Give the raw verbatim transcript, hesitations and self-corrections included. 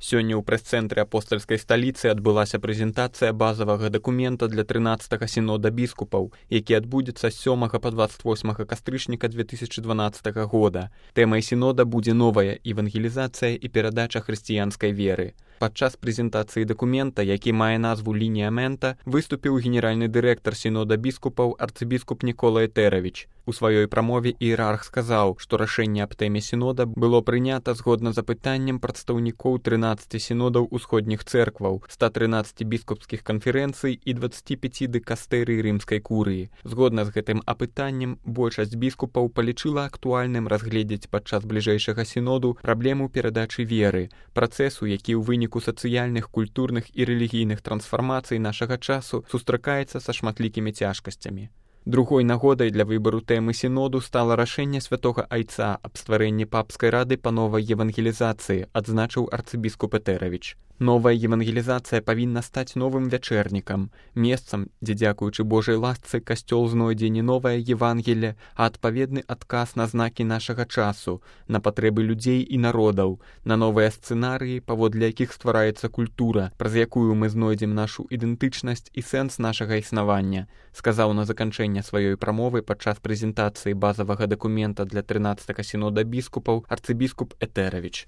Сёння ў прэс-цэнтры апостальскай сталіцы адбылася прэзентацыя базавага дакумента для трынаццатага сінода біскупаў, які адбудзецца з сёмага па дваццаць восьмага кастрычніка две тысячы дванаццатага года. Тэмай сінода будзе новая евангелізацыя і перадача хрысціянскай веры. Падчас прэзентацыі дакумента, які мае назву «Лініамента», выступіў генеральны дырэктар сінода біскупаў арцыбіскуп Нікола Этэравіч. У сваёй прамове іерарх сказаў, што рашэнне аб тэме сінода было прынята згодна запытаннем прадстаўнікоў трынаццаці сінодаў усходніх цэркваў, ста трынаццаці біскупскіх канферэнцый і дваццаці пяці дыкастэрый рымскай курыі. Згодна з гэтым апытаннем, большасць біскупаў палічыла актуальным разгледзець падчас бліжэйшага сіноду праблему перадачы веры, працэсу, які ў выніку сацыяльных, культурных і рэлігійных трансфармацый нашага часу сустракаецца са шматлікімі цяжкасцямі. Другой нагодай для выбару тэмы сіноду стала рашэнне святога айца аб стварэнні папскай рады па новай евангелізацыі, адзначыў арцыбіскуп Этэравіч. Новая евангелізацыя павінна стаць новым вячэрнікам, месцам, дзе, дзякуючы Божай ласцы, касцёл знойдзе не новае Евангелле, а адпаведны адказ на знакі нашага часу, на патрэбы людзей і народаў, на новыя сцэнарыі, паводле якіх ствараецца культура, праз якую мы знойдзем нашу ідэнтычнасць і сэнс нашага існавання, сказаў на заканчэнне сваёй прамовы падчас прэзентацыі базавага дакумента для трынаццатага сінода біскупаў арцыбіскуп Этэравіч.